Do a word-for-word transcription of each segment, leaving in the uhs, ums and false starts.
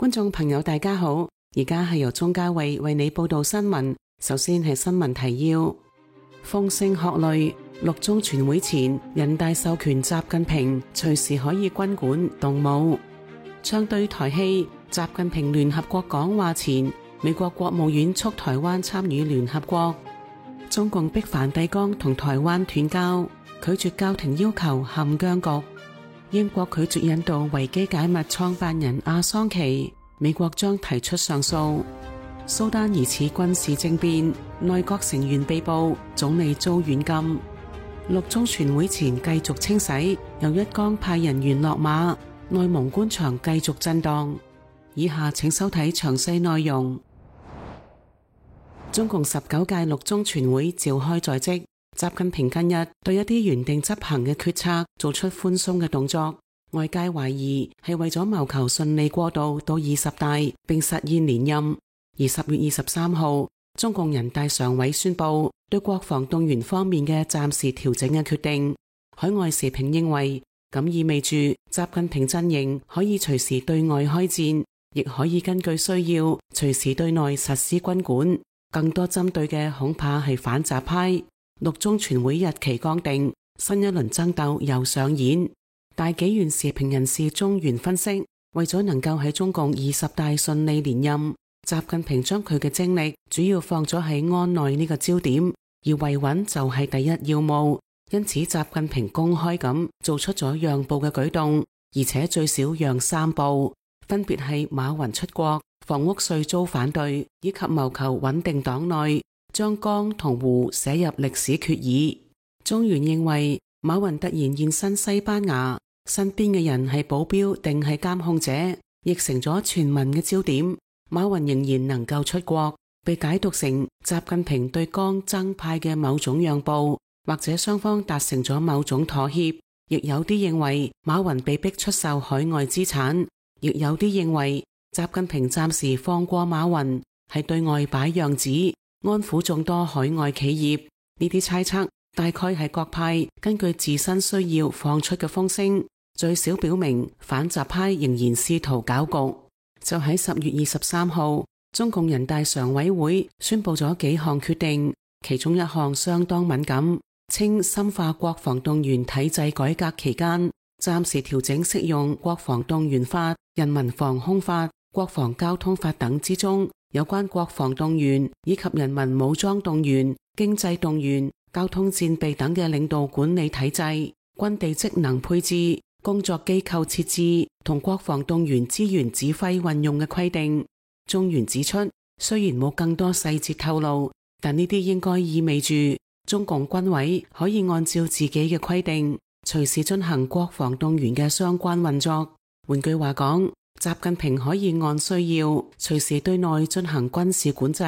觀眾朋友大家好，而家係由鍾嘉慧為你報道新聞。首先係新聞提要：風聲鶴唳，六中全會前，人大授權習近平隨時可以軍管動武。唱對台戲，習近平聯合國講話前，美國國務院促台灣參與聯合國。中共逼梵蒂岡同台灣斷交，拒絕教廷要求陷僵局。英國拒絕引渡維基解密創辦人阿桑奇，美國將提出上訴。蘇丹疑似軍事政變，內閣成員被捕，總理遭軟禁。六中全會前繼續清洗，又一江派人員落馬，內蒙官場繼續震盪。以下請收睇詳細內容。中共十九屆六中全會召開在即。習近平近日對一啲原定執行嘅決策做出寬鬆嘅動作，外界懷疑係為咗謀求順利過渡到二十大並實現連任。而十月二十三號，中共人大常委宣布對國防動員方面嘅暫時調整嘅決定。海外時評認為，咁意味住習近平陣營可以隨時對外開戰，亦可以根據需要隨時對內實施軍管。更多針對嘅恐怕係反習派。六中全會日期剛定，新一輪爭鬥又上演。大紀元時評人士鍾原分析，為咗能夠喺中共二十大順利連任，習近平將佢嘅精力主要放咗喺安內呢個焦點，而維穩就係第一要務。因此，習近平公開咁做出咗讓步嘅舉動，而且最少讓三步，分別係馬雲出國、房屋稅遭反對，以及謀求穩定黨內。將江同湖寫入歷史決議。鍾原認為，馬雲突然現身西班牙，身邊嘅人係保鏢定係監控者，亦成咗全民嘅焦點。馬雲仍然能夠出國，被解讀成習近平對江曾派嘅某種讓步，或者雙方達成咗某種妥協。亦有啲認為馬雲被逼出售海外資產，亦有啲認為習近平暫時放過馬雲係對外擺樣子，安撫眾多海外企業。呢啲猜測大概係各派根據自身需要放出嘅風聲，最少表明反習派仍然試圖搞局。就喺十月二十三號，中共人大常委會宣布咗幾項決定，其中一項相當敏感，稱深化國防動員體制改革期間，暫時調整適用國防動員法、人民防空法、國防交通法等之中有關國防動員以及人民武裝動員、經濟動員、交通戰備等嘅領導管理體制、軍地職能配置、工作機構設置同國防動員資源指揮運用嘅規定。鍾原指出，雖然冇更多細節透露，但呢啲應該意味住中共軍委可以按照自己嘅規定，隨時進行國防動員嘅相關運作。換句話講，習近平可以按需要隨時對內進行軍事管制，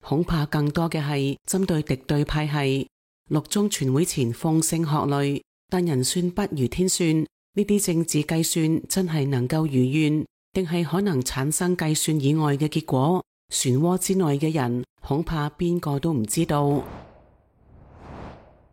恐怕更多嘅係針對敵對派系。六中全會前風聲鶴唳，但人算不如天算，呢啲政治計算真係能夠如願，定係可能產生計算以外嘅結果？漩渦之內嘅人恐怕邊個都唔知道。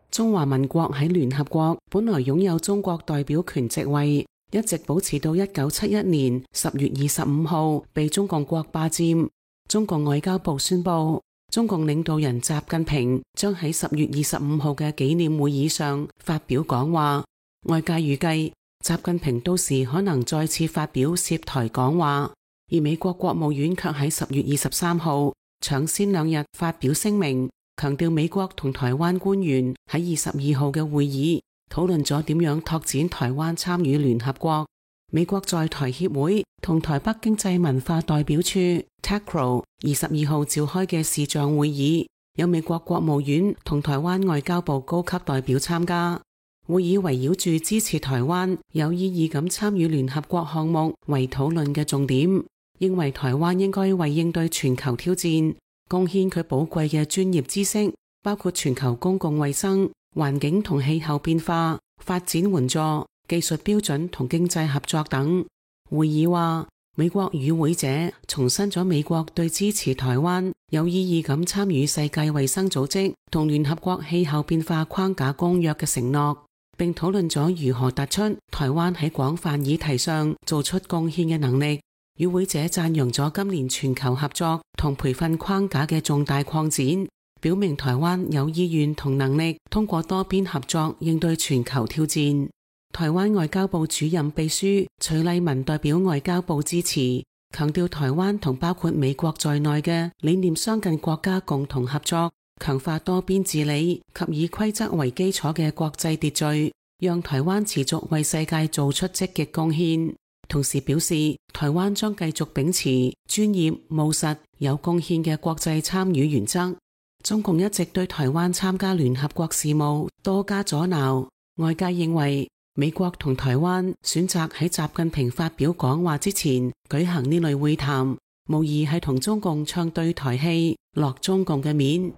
中華民國喺聯合國本來擁有中國代表權席位，一直保持到一九七一年十月二十五號被中共國霸佔。中共外交部宣布，中共領導人習近平將喺十月二十五號嘅紀念會議上發表講話。外界預計習近平到時可能再次發表涉台講話，而美國國務院卻喺十月二十三號搶先兩日發表聲明，強調美國同台灣官員喺二十二號嘅會議討論咗點樣拓展台灣參與聯合國。美國在台協會同台北經濟文化代表處 T A C R O 二十二號召開嘅視像會議，有美國國務院同台灣外交部高級代表參加。會議圍繞住支持台灣有意義咁參與聯合國項目為討論嘅重點，認為台灣應該為應對全球挑戰貢獻佢寶貴嘅專業知識，包括全球公共衛生、環境同氣候變化、發展援助、技術標準同經濟合作等。會議話，美國與會者重申咗美國對支持台灣有意義咁參與世界衛生組織同聯合國氣候變化框架公約嘅承諾，並討論咗如何突出台灣喺廣泛議題上做出貢獻嘅能力。與會者讚揚咗今年全球合作同培訓框架嘅重大擴展，表明台灣有意願同能力通過多邊合作應對全球挑戰。台灣外交部主任秘書徐麗文代表外交部支持，強調台灣同包括美國在內嘅理念相近國家共同合作，強化多邊治理及以規則為基礎嘅國際秩序，讓台灣持續為世界做出積極貢獻。同時表示，台灣將繼續秉持專業、務實、有貢獻嘅國際參與原則。中共一直對台灣參加聯合國事務多加阻撓，外界認為美國同台灣選擇喺習近平發表講話之前舉行呢類會談，無疑係同中共唱對台戲，落中共嘅面。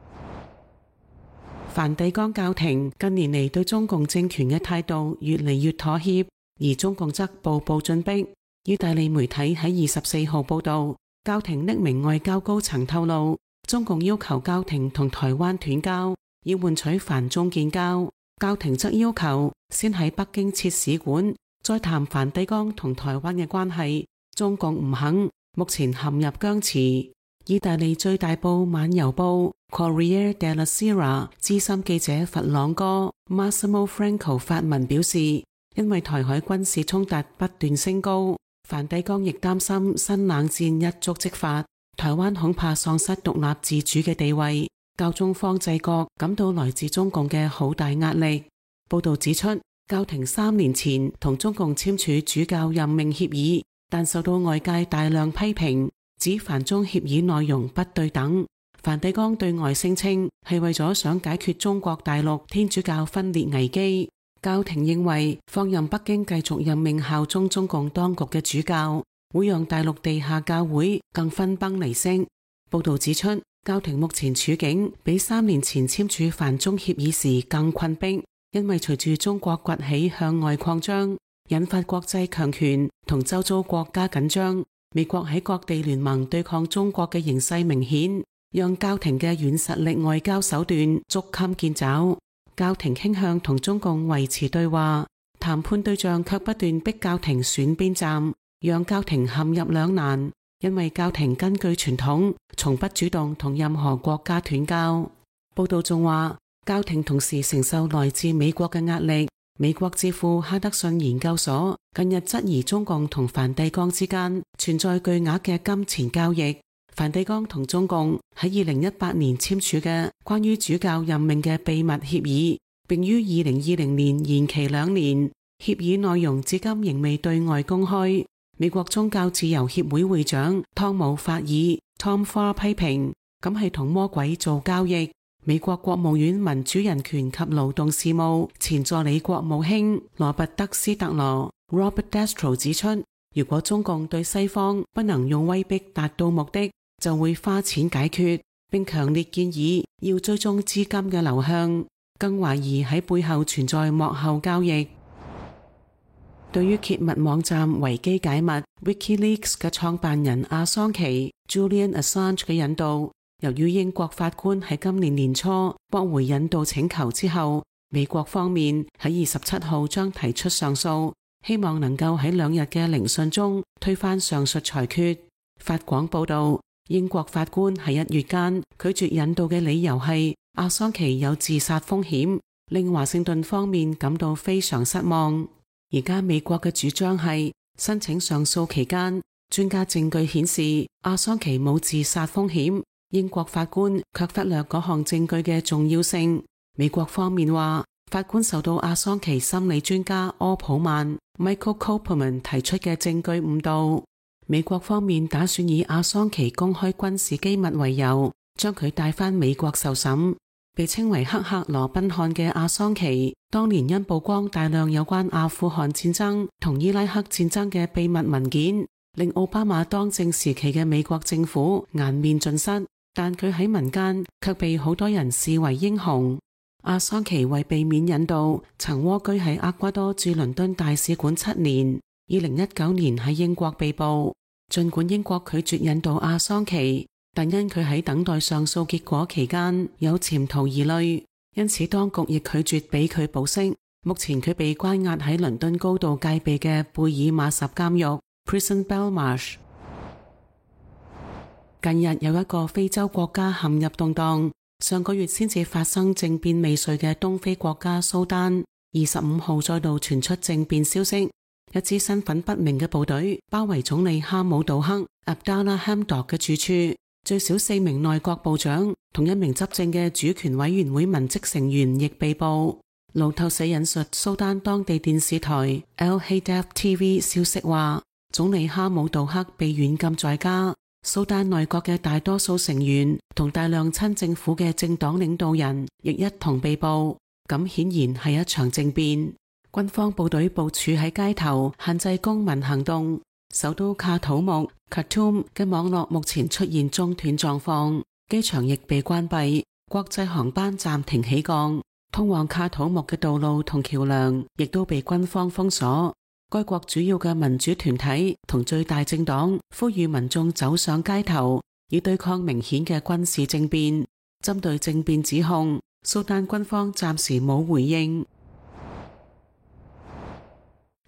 梵蒂岡教廷近年嚟對中共政權嘅態度越嚟越妥協，而中共則步步進逼。意大利媒體喺二十四號報道，教廷匿名外交高層透露，中共要求教廷同台灣斷交，以換取梵中建交。教廷則要求先喺北京設使館，再談梵蒂岡同台灣嘅關係。中共唔肯，目前陷入僵持。意大利最大報晚郵報 Corriere della Sera 資深記者佛朗哥 Massimo Franco 發文表示，因為台海軍事衝突不斷升高，梵蒂岡亦擔心新冷戰一觸即發，台灣恐怕喪失獨立自主嘅地位。教宗方濟各感到來自中共嘅好大壓力。報道指出，教廷三年前同中共簽署主教任命協議，但受到外界大量批評，指梵中協議內容不對等。梵蒂岡對外聲稱係為咗想解決中國大陸天主教分裂危機。教廷認為放任北京繼續任命效忠中共當局嘅主教，會讓大陸地下教會更分崩離析。報道指出，教廷目前處境比三年前簽署梵中協議時更困迫，因為隨住中國崛起向外擴張，引發國際強權同周遭國家緊張，美國喺各地聯盟對抗中國嘅形勢明顯，讓教廷嘅軟實力外交手段捉襟見肘。教廷傾向同中共維持對話，談判對象卻不斷逼教廷選邊站，讓教廷陷入兩難。因為教廷根據傳統，從不主動同任何國家斷交。報道仲話，教廷同時承受來自美國嘅壓力。美國智庫哈德遜研究所近日質疑中共同梵蒂岡之間存在巨額嘅金錢交易。梵蒂岡同中共喺二零一八年簽署嘅關於主教任命嘅秘密協議，並於二零二零年延期兩年。協議內容至今仍未對外公開。美國宗教自由協會會長湯姆法爾 Tom Farr 批評，咁係同魔鬼做交易。美國國務院民主人權及勞動事務前助理國務卿羅拔德斯特羅 Robert Destro 指出，如果中共對西方不能用威逼達到目的，就會花錢解決，並強烈建議要追蹤資金嘅流向，更懷疑喺背後存在幕後交易。對於揭密網站維基解密 WikiLeaks 嘅創辦人阿桑奇 Julian Assange 嘅引渡，由於英國法官喺今年年初駁回引渡請求之後，美國方面喺二十七號將提出上訴，希望能夠喺兩日嘅聆訊中推翻上述裁決。法廣報道，英國法官喺一月間拒絕引渡嘅理由係阿桑奇有自殺風險，令華盛頓方面感到非常失望。而家美國嘅主張係申請上訴期間，專家證據顯示阿桑奇冇自殺風險，英國法官卻忽略嗰項證據嘅重要性。美國方面話，法官受到阿桑奇心理專家柯普曼 Michael Kopelman 提出嘅證據誤導。美國方面打算以阿桑奇公開軍事機密為由，將佢帶返美國受審。被稱為黑客羅賓漢嘅阿桑奇，當年因曝光大量有關阿富汗戰爭同伊拉克戰爭嘅秘密文件，令奧巴馬當政時期嘅美國政府顏面盡失，但佢喺民間卻被好多人視為英雄。阿桑奇為避免引渡，曾蝸居喺厄瓜多駐倫敦大使館七年，二零一九年喺英國被捕。儘管英國拒絕引渡阿桑奇，但因佢喺等待上訴結果期間有潛逃疑慮，因此當局亦拒絕俾佢保釋。目前佢被關押喺倫敦高度戒備嘅貝爾馬什監獄 Prison Belmarsh。近日有一個非洲國家陷入動盪，上個月先至發生政變未遂嘅東非國家蘇丹，二十五號再度傳出政變消息，一支身份不明嘅部隊包圍總理哈姆杜克 Abdallah Hamdok 嘅住處，最少四名內閣部長同一名執政嘅主權委員會文職成員亦被捕。路透社引述蘇丹當地電視台 Al Hadaf T V 消息話，總理哈姆杜克被軟禁在家。蘇丹內閣嘅大多數成員同大量親政府嘅政黨領導人亦一同被捕，咁顯然係一場政變。軍方部隊部署喺街頭，限制公民行動。首都卡土木 Khartoum 嘅網絡目前出現中斷狀況，機場亦被關閉，國際航班暫停起降，通往卡土木嘅道路同橋樑亦都被軍方封鎖。該國主要嘅民主團體同最大政黨呼籲民眾走上街頭，以對抗明顯嘅軍事政變。針對政變指控，蘇丹軍方暫時冇回應。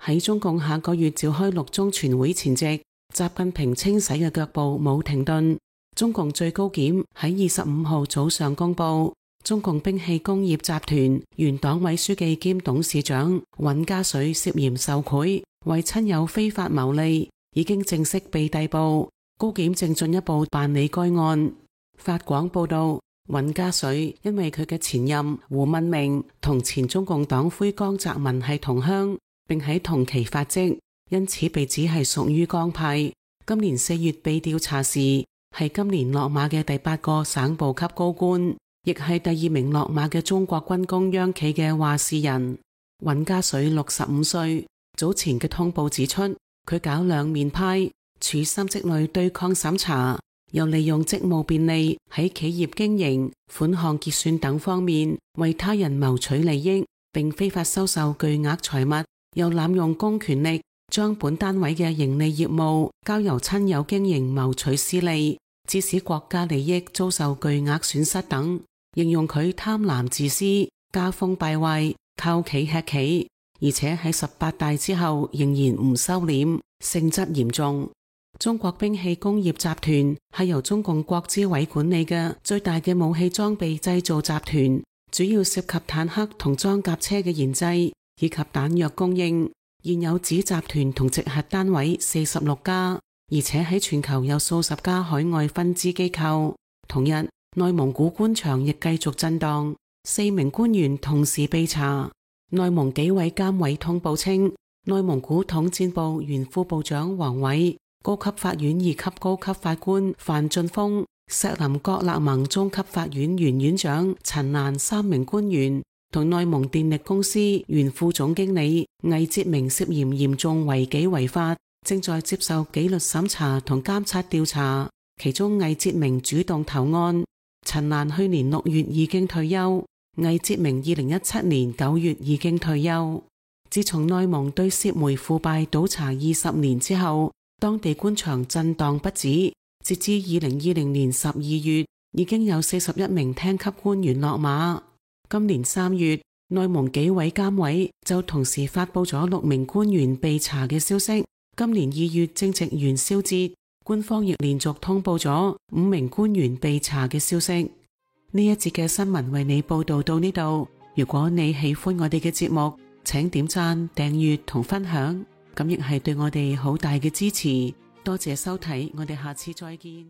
喺中共下個月召開六中全會前夕，習近平清洗嘅腳步冇停頓。中共最高檢喺二十五號早上公布，中共兵器工業集團原黨委書記兼董事長尹家水涉嫌受賄，為親友非法牟利，已經正式被逮捕。高檢正進一步辦理該案。法廣報道，尹家水因為佢嘅前任胡文明同前中共黨魁江澤民係同鄉，並喺同期發跡，因此被指係屬於江派。今年四月被調查時，係今年落馬嘅第八個省部級高官，亦係第二名落馬嘅中國軍工央企嘅話事人。尹家水六十五歲，早前嘅通報指出，佢搞兩面派，處心積慮對抗審查，又利用職務便利喺企業經營、款項結算等方面為他人謀取利益，並非法收受巨額財物，又濫用公權力，將本單位嘅盈利業務交由親友經營謀取私利，致使國家利益遭受巨額損失等。形容佢貪婪自私、家風敗壞、靠企吃企，而且喺十八大之後仍然唔收斂，性質嚴重。中國兵器工業集團係由中共國資委管理嘅最大嘅武器裝備製造集團，主要涉及坦克同裝甲車嘅研製以及彈藥供應。現有子集團同直轄單位四十六家，而且喺全球有數十家海外分支機構。同日，內蒙古官場亦繼續震盪，四名官員同時被查。內蒙紀委監委通報稱，內蒙古統戰部原副部長王偉、高級法院二級高級法官范俊峰、錫林郭勒盟中級法院原院長陳蘭三名官員同內蒙電力公司原副總經理魏哲明涉嫌嚴重違紀違法，正在接受紀律審查同監察調查。其中魏哲明主動投案，陳蘭去年六月已經退休，魏哲明二零一七年九月已經退休。自從內蒙對涉煤腐敗倒查二十年之後，當地官場震盪不止。截至二零二零年十二月，已經有四十一名廳級官員落馬。今年三月，內蒙紀委監委就同時發佈咗六名官員被查嘅消息。今年二月正值元宵節，官方亦連續通報咗五名官員被查嘅消息。呢一節嘅新聞為你報道到呢度。如果你喜歡我哋嘅節目，請點讚、訂閱同分享，咁亦係對我哋好大嘅支持。多謝收睇，我哋下次再見。